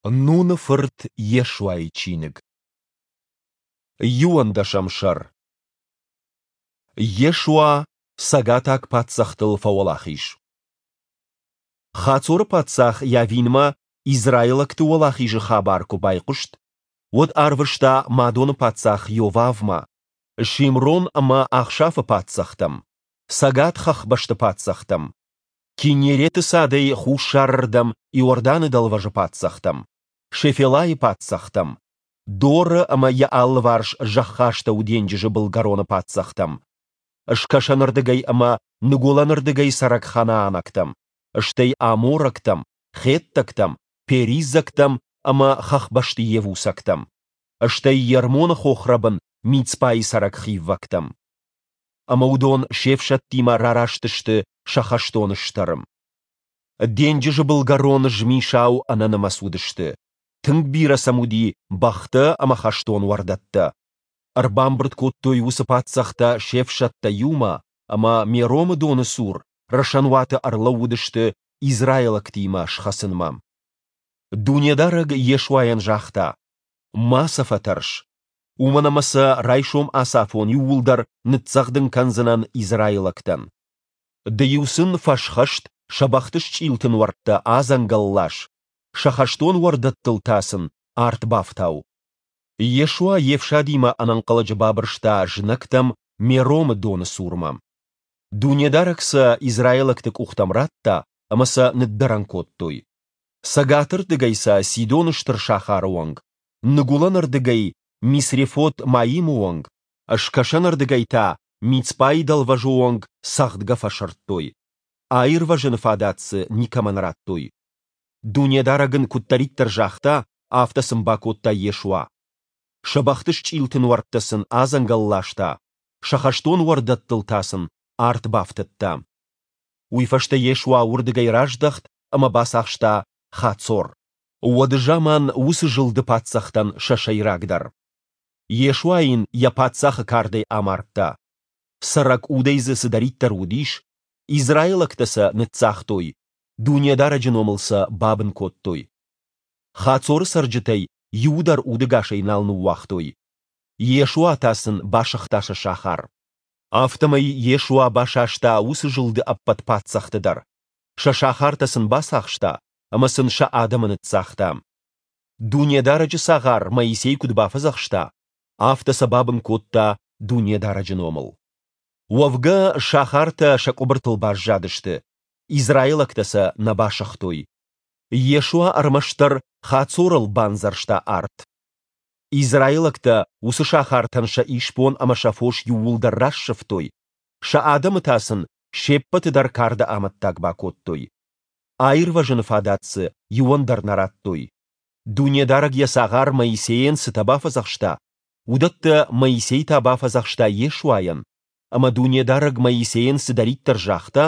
Нуны фырт Йешуайы чиныг. Иуӕндӕсӕм сӕр. Йешуа цӕгатаг паддзӕхтыл фӕуӕлахиз. Хацоры паддзах Иавинмӕ израилӕгты уӕлахизы хабар куы байхъуыст, уӕд арвыста Мадоны паддзах Йовавмӕ, Шимрон ӕмӕ Ахшафы паддзӕхтӕм, цӕгат хӕхбӕсты паддзӕхтӕм, Киннереты цадӕй хуссарырдӕм Иорданы дӕлвӕзы паддзӕхтӕм, Шефелайы паддзӕхтӕм, Доры ӕмӕ йӕ алыварс зӕххастӕу денджызы былгӕроны паддзӕхтӕм, скӕсӕнырдыгӕй ӕмӕ ныгуылӕнырдыгӕй цӕрӕг ханаанӕгтӕм, стӕй аморӕгтӕм, хеттӕгтӕм, периззӕгтӕм ӕмӕ хӕхбӕсты йевусӕгтӕм, стӕй Ермоны хохрӕбын Мицпайы цӕрӕг хиввӕгтӕм. Ӕмӕ уыдон се фсӕдтимӕ рараст сты сӕ хӕстон стӕры. Денджызы былгӕрон змисау ӕнӕнымӕц уыдысты, тынг бирӕ сӕм уыди бӕхтӕ ӕмӕ хӕстон уӕрдӕттӕ. Ӕрбамбырд кодтой уыцы паддзӕхтӕ се фсӕдтӕ иумӕ ӕмӕ Меромы доны цур рӕсӕнуаты ӕрлӕууыдысты израилӕгтимӕ схӕцынмӕ. Дунедарӕг Йешуайӕн загъта: Ма сӕ фӕтӕрс, уымӕн ӕмӕ сӕ райсом ацафон иууылдӕр ныццӕгъдын кӕндзынӕн израилӕгтӕн. Ды-иу сын фӕсхӕст сӕ бӕхты счъилты нуӕрттӕ адзӕнгӕл лас, сӕ хӕстон уӕрдӕттыл та сын арт бафтау. Йешуа йе фсадимӕ ӕнӕнхъӕлӕджы бабырста знӕгтӕм Меромы доны цурмӕ. Дунедарӕг сӕ израилӕгты къухтӕм радта, ӕмӕ сӕ ныддӕрӕн кодтой. Цӕгатырдыгӕй сӕ Сидоны стыр сахары онг, ныгуылӕнырдыгӕй Мисрефот-Маимы онг, скӕсӕнырдыгӕй та Мицпайы дӕлвӕзы онг цӕгъдгӕ фӕсырдтой. Аирвӕзыны фадат дзы никӕмӕн радтой. Дунедарӕг ын куыддӕриддӕр загъта, афтӕ сын бакодта Йешуа. Сӕ бӕхты счъилты нуӕрттӕ сын адзӕнгӕл ласта, сӕ хӕстон уӕрдӕттыл та сын арт бафтыдта. Уый фӕстӕ Йешуа уырдыгӕй раздӕхт ӕмӕ бацахста Хацор. Уӕды заман уыцы зылды паддзӕхтӕн сӕ сӕйрагдӕр. Йешуа йын йӕ паддзахы кардӕй амардта. Цӕрӕг удӕй дзы цыдӕриддӕр уыдис, израилӕгтӕ сӕ ныццагътой, Дунедарӕджы номыл сӕ бабын кодтой. Хацоры цӕрджытӕй иуы дӕр удӕгасӕй нал ныууагътой. Йешуа та сын басыгъта сӕ сахар. Афтӕмӕй Йешуа басаста уыцы зылды ӕппӕт паддзӕхты дӕр, сӕ сахартӕ сын бацахста ӕмӕ сын сӕ адӕмы ныццагъта. Дунедарӕджы цагъар Моисей куыд бафӕдзӕхста, афтӕ сӕ бабын кодта Дунедарӕджы номыл. Уӕвгӕ, сахартӕ сӕ къуыбыртыл баззадысты, израилӕгтӕ сӕ нӕ басыгътой. Йешуа ӕрмӕстдӕр Хацорыл бандзӕрста арт. Израилӕгтӕ уыцы сахартӕн сӕ исбон ӕмӕ сӕ фос иууылдӕр рассывтой, сӕ адӕмы та сын се ппӕты дӕр карды амӕттаг бакодтой. Аирвӕзыны фадат дзы иуӕн дӕр нӕ радтой. Дунедарӕг йӕ цагъар Моисейӕн цытӕ бафӕдзӕхста, уыдӕттӕ Моисей та бафӕдзӕхста Йешуайӕн, ӕмӕ Дунедарӕг Моисейӕн цыдӕриддӕр загъта,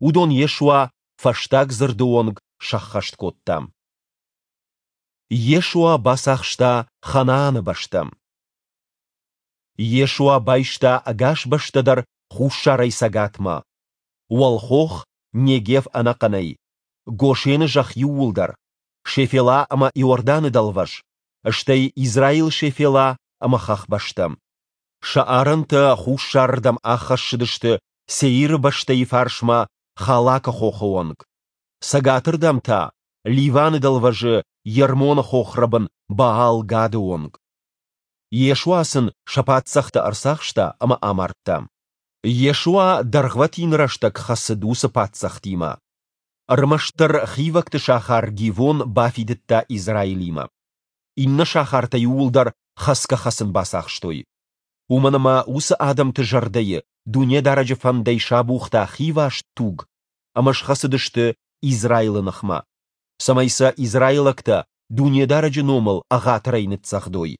уыдон Йешуа фӕстаг дзырды онг сӕххӕст кодта. Йешуа бацахста Ханааны бӕстӕ. Йешуа байста ӕгас бӕстӕ дӕр хуссарӕй цӕгатмӕ, уӕлхох Негев ӕнӕхъӕнӕй, Гошены зӕхх иууылдӕр, Шефела ӕмӕ Иорданы дӕлвӕз, стӕй Израилы Шефела ӕмӕ хӕхбӕстӕ. Сӕ арӕнтӕ хуссарырдӕм аххӕссыдысты Сеиры бӕстӕйы фарсмӕ Халакы хохы онг, цӕгатырдӕм та Ливаны дӕлвӕзы Ермоны хохрӕбын Баал-Гады онг. Йешуа сын сӕ паддзӕхты ӕрцахста ӕмӕ амардта. Йешуа дӕргъвӕтин рӕстӕг хӕцыд уыцы паддзӕхтимӕ. Ӕрмӕстдӕр хивӕгты сахар Гивон бафидыдта Израилимӕ. Иннӕ сахартӕ иууылдӕр хӕцгӕ-хӕцын бацахстой. Уымӕн ӕмӕ уыцы адӕмты зӕрдӕйы Дунедарӕджы фӕндӕй сабухта хиваст туг ӕмӕ схӕцыдысты Израилы ныхмӕ, цӕмӕй сӕ израилӕгтӕ Дунедарӕджы номыл ӕгъатырӕй ныццӕгъдой.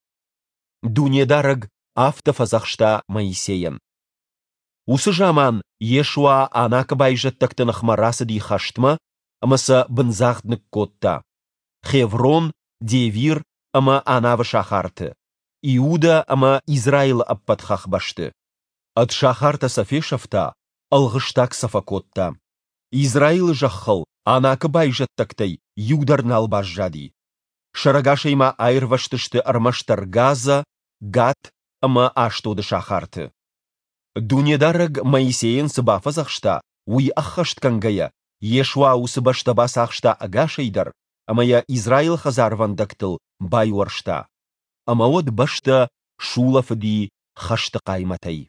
Дунедарӕг афтӕ фӕдзӕхста Моисейӕн. Уыцы заман Йешуа Анакы байзӕддӕгты ныхмӕ рацыди хӕстмӕ ӕмӕ сӕ бындзагъд ныккодта Хеврон, Девир ӕмӕ Анавы сахарты, Иудӕ ӕмӕ Израилы ӕппӕт хӕхбӕсты. Ӕд сахартӕ сӕ фесӕфта, ӕлгъыстаг сӕ фӕкодта. Израилы зӕххыл Анакы байзӕддӕгтӕй иу дӕр нал баззади. Сӕрӕгасӕй ма аирвӕзтысты ӕрмӕстдӕр Газӕ, Гат ӕмӕ Ашдоды сахарты. Дунедарӕг Моисейӕн цы бафӕдзӕхста, уый ӕххӕстгӕнгӕйӕ, Йешуа уыцы бӕстӕ бацахста ӕгасӕй дӕр ӕмӕ йӕ Израилы хӕдзарвӕндӕгтыл байуӕрста. Ӕмӕ уӕд бӕстӕ сулӕфыди хӕсты хъаймӕтӕй.